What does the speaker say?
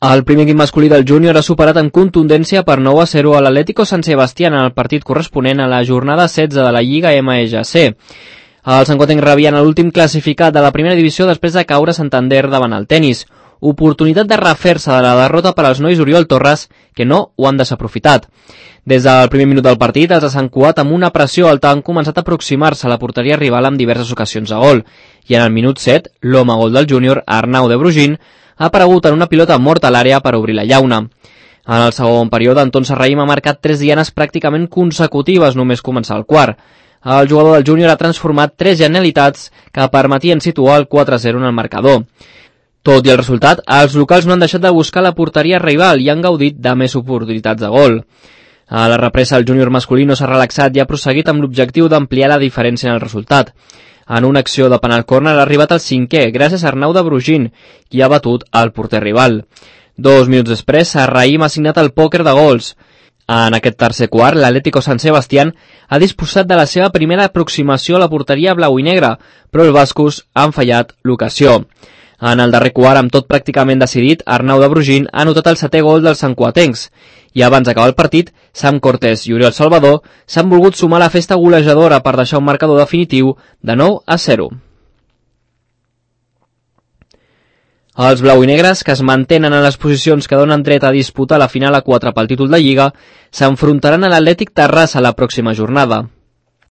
El primer equip masculí del júnior ha superat en contundència per 9-0 a l'Atlético San Sebastián en el partit corresponent a la jornada 16 de la Lliga MSC. Els sancotencs rebien l'últim classificat de la primera divisió després de caure Santander davant el Tenis. Oportunitat de refer-se de la derrota per als nois Oriol Torres, que no ho han desaprofitat. Des del primer minut del partit, els de Sant Cugat amb una pressió alta han començat a aproximar-se a la porteria rival en diverses ocasions de gol, i en el minut 7, l'home gol del júnior, Arnau de Brugin, ha aparegut en una pilota morta a l'àrea per obrir la llauna. En el segon període, Anton Serraïm ha marcat 3 dianes pràcticament consecutives només començar el quart. El jugador del júnior ha transformat 3 genialitats que permetien situar el 4-0 en el marcador. Tot i el resultat, els locals no han deixat de buscar la porteria rival i han gaudit de més oportunitats de gol. A la represa, el júnior masculí no s'ha relaxat i ha prosseguit amb l'objectiu d'ampliar la diferència en el resultat. En una acció de penal córner ha arribat al 5è, gràcies a Arnau de Brugin, qui ha batut el porter rival. 2 minuts després, Serraïm ha signat el pòquer de gols. En aquest tercer quart, l'Atlético San Sebastián ha disposat de la seva primera aproximació a la porteria blau i negra, però els bascos han fallat l'ocasió. En el darrer quart, amb tot pràcticament decidit, Arnau de Brugin ha anotat el 7è gol dels santcuatencs. I abans d'acabar el partit, Sam Cortés i Oriol Salvador s'han volgut sumar a la festa golejadora per deixar un marcador definitiu de 9-0. Els blau i negres, que es mantenen en les posicions que donen dret a disputar la final a 4 pel títol de Lliga, s'enfrontaran a l'Atlètic Terrassa la pròxima jornada.